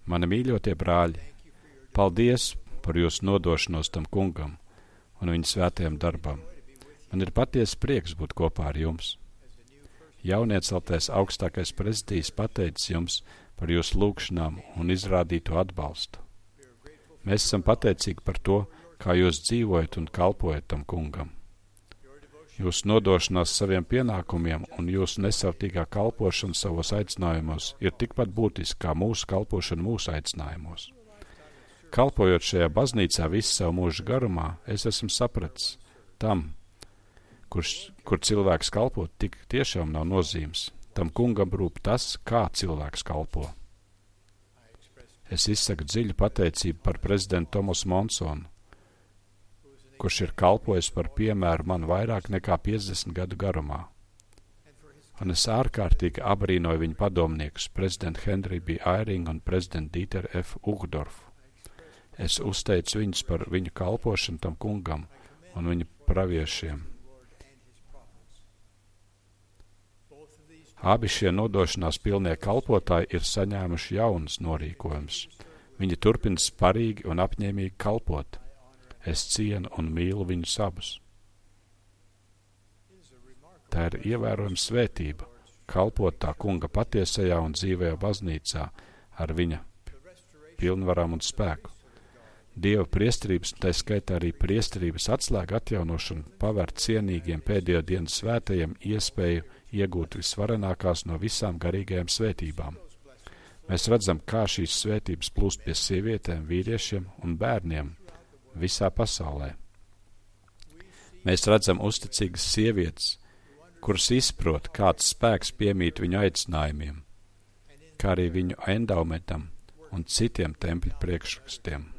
Mani mīļotie brāļi, paldies par jūsu nodošanos tam kungam un viņa svētajam darbam. Man ir patiesa prieks būt kopā ar jums. Jaunieceltais augstākais prezidijs pateicis jums par jūsu lūgšanām un izrādīto atbalstu. Mēs esam pateicīgi par to, kā jūs dzīvojat un kalpojat tam kungam. Jūsu nodošanās saviem pienākumiem un jūsu nesautīgā kalpošana savos aicinājumos ir tikpat būtiski kā mūsu kalpošana mūsu aicinājumos. Kalpojot šajā baznīcā visu savu mūžu garumā, es esmu sapratis tam, kur cilvēks kalpo, tik tiešām nav nozīmes. Tam kungam rūp tas, kā cilvēks kalpo. Es izsaku dziļu pateicību par prezidentu Tomasu Monsonu, kurš ir kalpojis par piemēru man vairāk nekā 50 gadu garumā. Un es ārkārtīgi abrīnoju viņu padomniekus, prezidentu Henriju B. Airingu un prezidentu Dīteru F. Uhdorfu. Es uzteicu viņus par viņu kalpošanu tam kungam un viņu praviešiem. Abi šie nodošanās pilnie kalpotāji ir saņēmuši jaunas norīkojumus. Viņi turpina sparīgi un apņēmīgi kalpot. Es cienu un mīlu viņus abus. Tā ir ievērojama svētība, kalpot tā kunga patiesajā un dzīvajā baznīcā ar viņa pilnvarām un spēku. Dieva priesterības, tā skaitā arī priesterības atslēga atjaunošana, paver cienīgiem pēdējo dienu svētajiem iespēju iegūt visvarenākās no visām garīgajām svētībām. Mēs redzam, kā šīs svētības plūst pie sievietēm, vīriešiem un bērniem visā pasaulē. Mēs redzam uzticīgas sievietes, kuras izprot, kāds spēks piemīt viņu aicinājumiem, kā arī viņu endaumentam un citiem tempļu priekšrakstiem.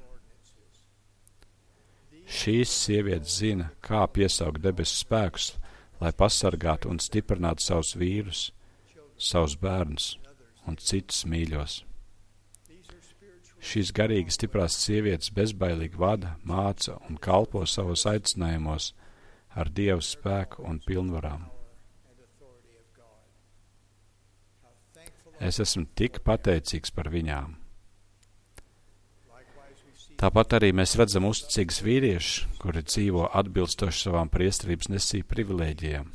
Šīs sievietes zina, kā piesaukt debesu spēkus, lai pasargātu un stiprinātu savus vīrus, savus bērnus un citus mīļos. Šīs garīgi stiprās sievietes bezbailīgi vada, māca un kalpo savos aicinājumos ar Dievu spēku un pilnvarām. Es esmu tik pateicīgs par viņām. Tāpat arī mēs redzam uzticīgus vīriešus, kuri dzīvo atbilstoši savām priesterības nesību privilēģijām.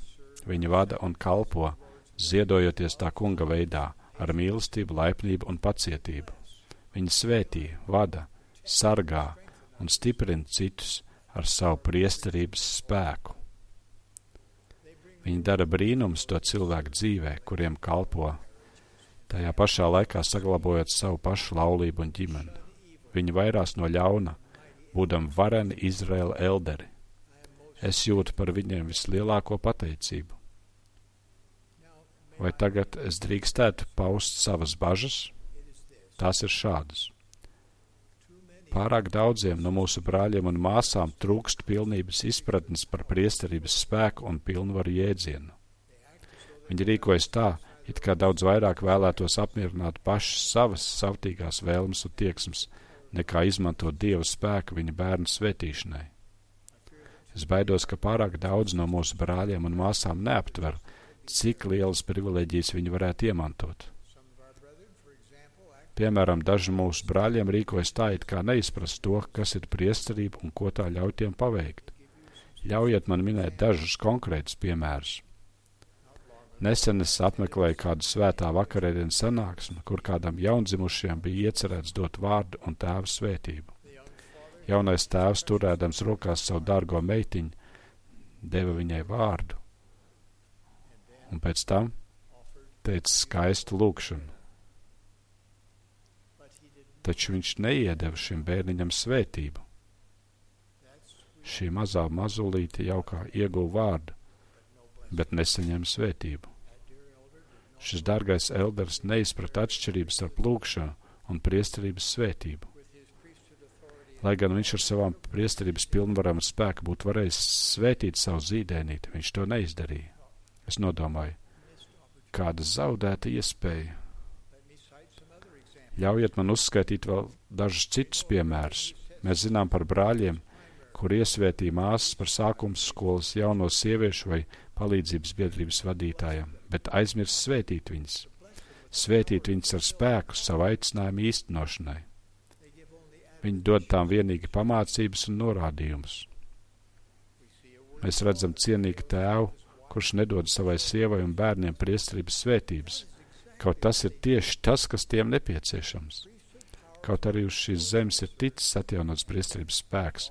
Viņi vada un kalpo, ziedojoties tā kunga veidā, ar mīlestību, laipnību un pacietību. Viņi svētī, vada, sargā un stiprina citus ar savu priesterības spēku. Viņi dara brīnums to cilvēku dzīvē, kuriem kalpo, tajā pašā laikā saglabājot savu pašu laulību un ģimeni. Viņi vairās no ļauna, būdam vareni Izraēla elderi. Es jūtu par viņiem vislielāko pateicību. Vai tagad es drīkstētu paust savas bažas? Tās ir šādas. Pārāk daudziem no mūsu brāļiem un māsām trūkst pilnības izpratnes par priesterības spēku un pilnvaru jēdzienu. Viņi rīkojas tā, it kā daudz vairāk vēlētos apmierināt pašas savas savtīgās vēlmes un tieksmes, nekā izmantot Dieva spēku viņa bērnu svētīšanai. Es baidos, ka pārāk daudz no mūsu brāļiem un māsām neaptver, cik lielas privileģijas viņi varētu iemantot. Piemēram, daži mūsu brāļiem rīkojas tā, it kā neizprast to, kas ir priesterība un ko tā ļauj tiem paveikt. Ļaujiet man minēt dažus konkrētus piemērus. Nesen es apmeklēju kādu svētā vakarēdienu sanāksmi, kur kādam jaundzimušajam bija iecerēts dot vārdu un tēva svētību. Jaunais tēvs, turēdams rokās savu dārgo meitiņu, deva viņai vārdu, un pēc tam teica skaistu lūgšanu. Taču viņš neiedeva šim bērniņam svētību. Šī mazā mazulīte jau kā ieguva vārdu, bet nesaņem svētību. Šis dārgais elders neizprata atšķirības starp lūgšanu un priesterības svētību. Lai gan viņš ar savām priesterības pilnvarām un spēku būtu varējis svētīt savu zīdēnīti, viņš to neizdarīja. Es nodomāju, kāda zaudēta iespēja. Ļaujiet man uzskaitīt vēl dažus citus piemērus. Mēs zinām par brāļiem, kur iesvētīja māsas par sākums skolas jauno sieviešu vai palīdzības biedrības vadītājiem, bet aizmirst svētīt viņas. svētīt viņus ar spēku savu aicinājumu īstenošanai. Viņi dod tām vienīgi pamācības un norādījumus. Mēs redzam cienīgu tēvu, kurš nedod savai sievai un bērniem priesterības svētības, kaut tas ir tieši tas, kas tiem nepieciešams. Kaut arī uz šīs zemes ir ticis atjaunots priesterības spēks,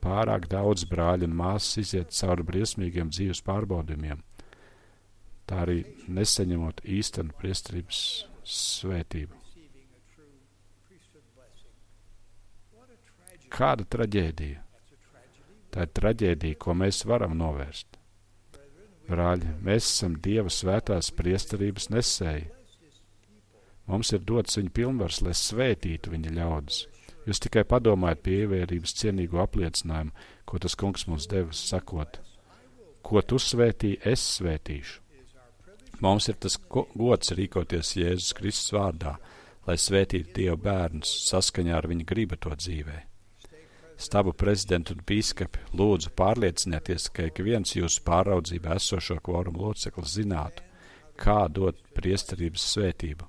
pārāk daudz brāļu un māsas iziet cauri briesmīgiem dzīves pārbaudījumiem, tā arī nesaņemot īstenu priesterības svētību. Kāda traģēdija? Tā ir traģēdija, ko mēs varam novērst. Brāļi, mēs esam Dieva svētās priesterības nesēji. Mums ir dots viņa pilnvars, lai svētītu viņa ļaudis. Jūs tikai padomājiet pie ievērības cienīgo apliecinājumu, ko tas kungs mums devis, sakot, ko tu svētī, es svētīšu. Mums ir tas gods rīkoties Jēzus Kristus vārdā, lai svētītu Dieva bērnus saskaņā ar viņa gribu to dzīvē. Stabu prezidentu un bīskapi, lūdzu pārliecinieties, ka ik viens jūsu pāraudzībā esošo kvorumu loceklis zinātu, kā dot priesterības svētību,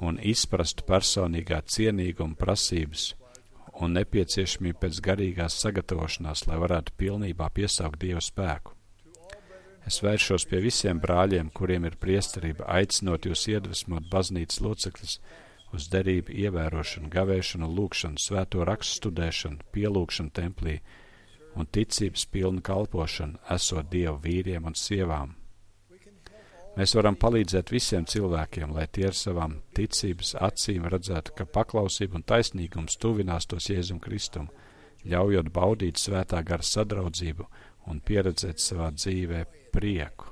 un izprastu personīgā cienīguma prasības un nepieciešamību pēc garīgās sagatavošanās, lai varētu pilnībā piesaukt Dievu spēku. Es vēršos pie visiem brāļiem, kuriem ir priesterība, aicinot jūs iedvesmot baznīcas locekļus uz derību ievērošanu, gavēšanu, lūkšanu, svēto rakstu studēšanu, pielūkšanu templī un ticības pilnu kalpošanu, esot Dieva vīriem un sievām. Mēs varam palīdzēt visiem cilvēkiem, lai tie ar savām ticības acīm redzētu, ka paklausība un taisnīgums tuvinās tos Jēzum Kristum, ļaujot baudīt svētā gara sadraudzību un pieredzēt savā dzīvē prieku.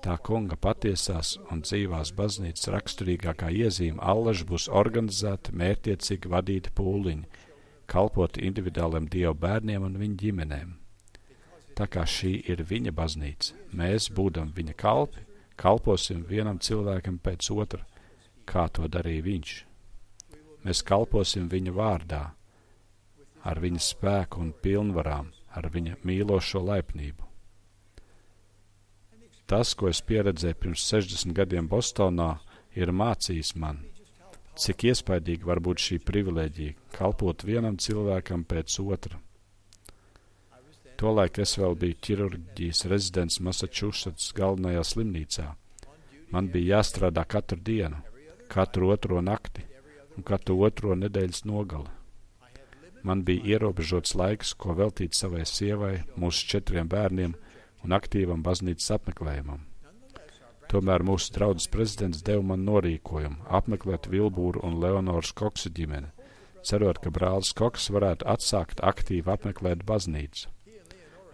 Tā kunga patiesās un dzīvās baznīcas raksturīgākā iezīme allaž būs organizēta, mērķiecīgi vadīta pūliņi, kalpot individuāliem Dieva bērniem un viņa ģimenēm. Tā kā šī ir viņa baznīca, mēs, būdam viņa kalpi, kalposim vienam cilvēkam pēc otra, kā to darīja viņš. Mēs kalposim viņa vārdā, ar viņa spēku un pilnvarām, ar viņa mīlošo laipnību. Tas, ko es pieredzēju pirms 60 gadiem Bostonā, ir mācījis man, cik iespaidīgi var būt šī privilēģija, kalpot vienam cilvēkam pēc otra. Tolaik es vēl biju ķirurģijas rezidents Massachusetts galvenajā slimnīcā. Man bija jāstrādā katru dienu, katru otro nakti un katru otro nedēļas nogali. Man bija ierobežots laiks, ko veltīt savai sievai, mūsu 4 bērniem un aktīvam baznīcas apmeklējumam. Tomēr mūsu draudzes prezidents deva man norīkojumu apmeklēt Vilbūru un Leonoras Koksu ģimeni, cerot, ka brālis Koks varētu atsākt aktīvi apmeklēt baznīcu.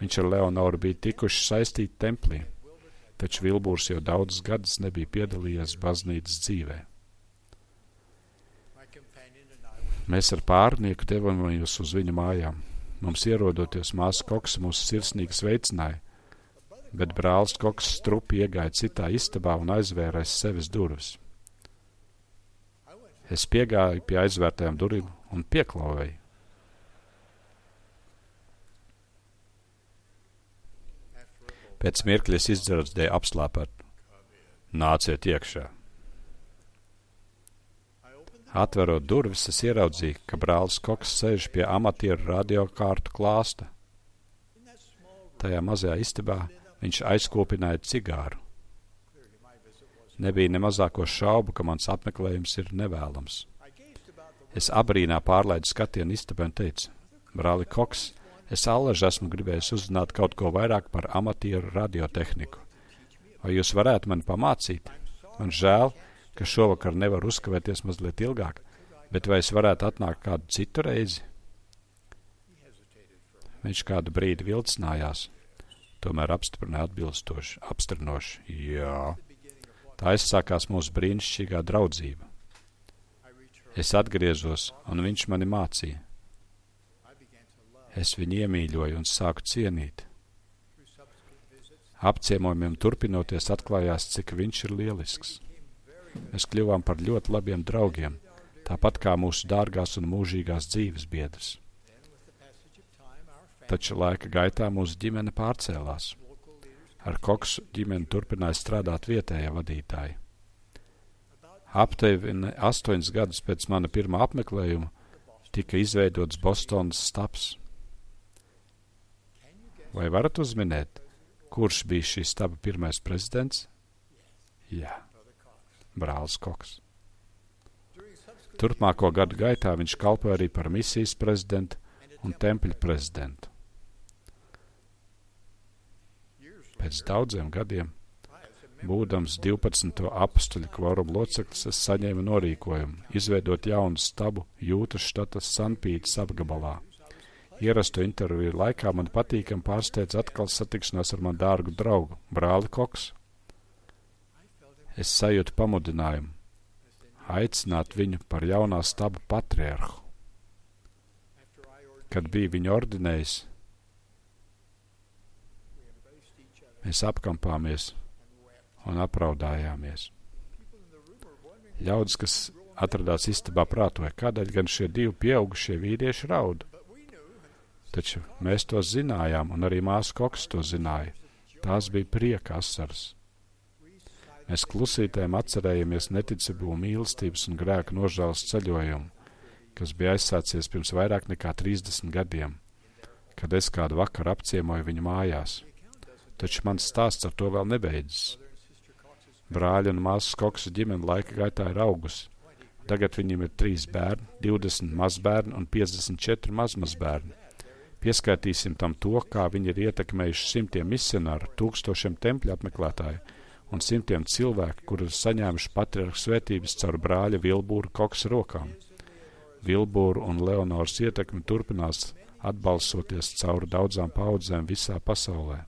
Viņš ar Leonoru bija tikuši saistīti templī, taču Vilbūrs jau daudzus gadus nebija piedalījies baznīcas dzīvē. Mēs ar pārnieku devāmies uz viņu mājām. Mums ierodoties māsa Koksa mūs sirsnīgi sveicināja, bet brālis Koks strupi iegāja citā istabā un aizvēra aiz sevis durvis. Es piegāju pie aizvērtajām durvīm un pieklauvēju. Pēc mirkļa es izdzirdēju apslāpētu: nāciet iekšā. Atverot durvis, es ieraudzīju, ka brālis Koks sēž pie amatieru radiokārtu klāsta. Tajā mazajā istabā viņš aizkopināja cigāru. Nebija ne mazāko šaubu, ka mans apmeklējums ir nevēlams. Es abrīnā pārlaidu skatienu istabai un teicu: brāli Koks, es allaž esmu gribējis uzzināt kaut ko vairāk par amatieru radiotehniku. Vai jūs varētu mani pamācīt? Man žēl, ka šovakar nevar uzkavēties mazliet ilgāk, bet vai es varētu atnākt kādu citu reizi? Viņš kādu brīdi vilcinājās, tomēr apstiprināja apstrinoši: jā. Tā aizsākās mūsu brīnišķīgā draudzība. Es atgriezos, un viņš mani mācīja. Es viņu iemīļoju un sāku cienīt. Apciemojumiem turpinoties atklājās, cik viņš ir lielisks. Mēs kļuvām par ļoti labiem draugiem, tāpat kā mūsu dārgās un mūžīgās dzīves biedrs. Taču laika gaitā mūsu ģimene pārcēlās. Ar Koksu ģimeni turpināja strādāt vietējā vadītāji. Aptuveni 8 gadus pēc mana pirmā apmeklējuma tika izveidots Bostonas stabs. Vai varat uzminēt, kurš bija šī staba pirmais prezidents? Jā, brālis Koks. Turpmāko gadu gaitā viņš kalpoja arī par misijas prezidentu un tempļa prezidentu. Pēc daudziem gadiem, būdams 12. apustuļu kvoruma loceklis, es saņēmu norīkojumu izveidot jaunu stabu Jūtas štata Sanpītas apgabalā. Ierasto interviju laikā man patīkam pārsteidz atkal satikšanās ar man dārgu draugu, brāli Koksu. Es sajūtu pamudinājumu aicināt viņu par jaunā staba patriarhu. Kad bija viņu ordinējis, mēs apkampāmies un apraudājāmies. Ļaudis, kas atradās istabā, prātoja, kādēļ gan šie divi pieaugušie vīrieši raud. Taču mēs to zinājām, un arī māsa Koks to zināja. Tās bija prieka asaras. Mēs klusītēm atcerējamies neticību, mīlestības un grēku nožēlas ceļojumu, kas bija aizsācies pirms vairāk nekā 30 gadiem, kad es kādu vakaru apciemoju viņu mājās. Taču mans stāsts ar to vēl nebeidzas. Brāļa un māsas Koksa ģimene laika gaitā ir augusi. Tagad viņiem ir 3 bērni, 20 mazbērni un 54 mazmazbērni. Pieskaitīsim tam to, kā viņi ir ietekmējuši simtiem misionāru, 1000 tempļu apmeklētāju un simtiem cilvēku, kuri ir saņēmuši patriarhu svētības caur brāļa Vilbūra Koksa rokām. Vilbūra un Leonoras ietekme turpinās atbalsoties cauri daudzām paudzēm visā pasaulē.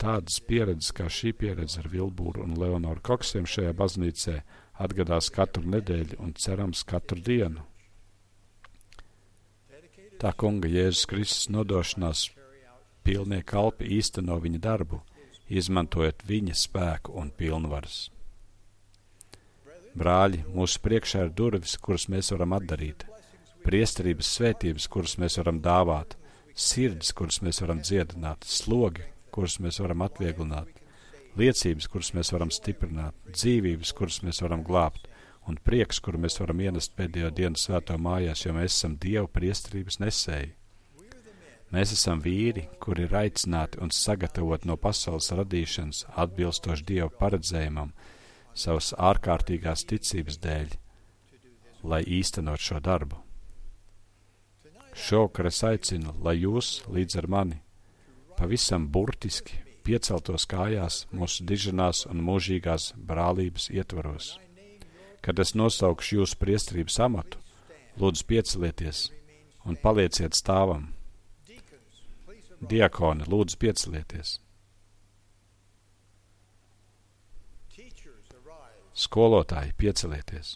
Tādas pieredzes kā šī pieredze ar Vilbūru un Leonoru Koksiem šajā baznīcē atgadās katru nedēļu un cerams katru dienu. Tā kunga Jēzus Kristus nodošanās pilnie kalpi īsteno viņa darbu, izmantojot viņa spēku un pilnvaras. Brāļi, mūsu priekšā ir durvis, kuras mēs varam atdarīt, priesterības svētības, kuras mēs varam dāvāt, sirdis, kuras mēs varam dziedināt, slogi, kuras mēs varam atvieglināt, liecības, kuras mēs varam stiprināt, dzīvības, kuras mēs varam glābt, un prieks, kuru mēs varam ienest pēdējo dienu svēto mājās, jo mēs esam Dieva priesterības nesēji. Mēs esam vīri, kuri ir aicināti un sagatavoti no pasaules radīšanas atbilstoši Dieva paredzējumam savas ārkārtīgās ticības dēļ, lai īstenot šo darbu. Šovakar es aicinu, lai jūs līdz ar mani pavisam burtiski pieceltos kājās mūsu diženās un mūžīgās brālības ietvaros. Kad es nosaukšu jūsu priesterības amatu, lūdzu piecelieties un palieciet stāvam. Diakoni, lūdzu piecelieties. Skolotāji, piecelieties.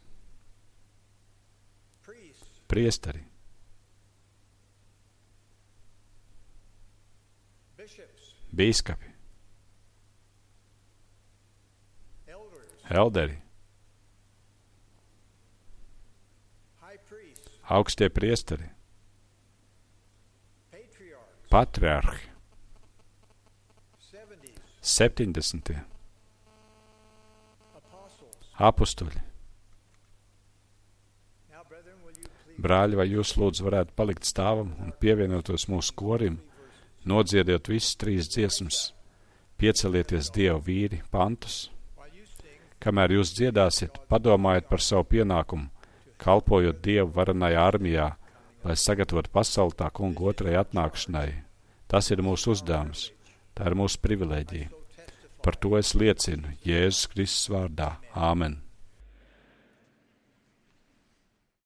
Priesteri. Bīskapi. Elderi. Augstie priesteri. Patriarhi. 70. Apustuļi. Brāļi, vai jūs lūdzu varētu palikt stāvam un pievienotos mūsu korim, nodziediet visas 3 dziesmas, piecelieties Dieva vīri pantus. Kamēr jūs dziedāsiet, padomājiet par savu pienākumu, kalpojot Dievu varenajā armijā, lai sagatavotu pasauli tā kunga otrajai atnākšanai. Tas ir mūsu uzdevums, tā ir mūsu privilēģija. Par to es liecinu Jēzus Kristus vārdā. Āmen.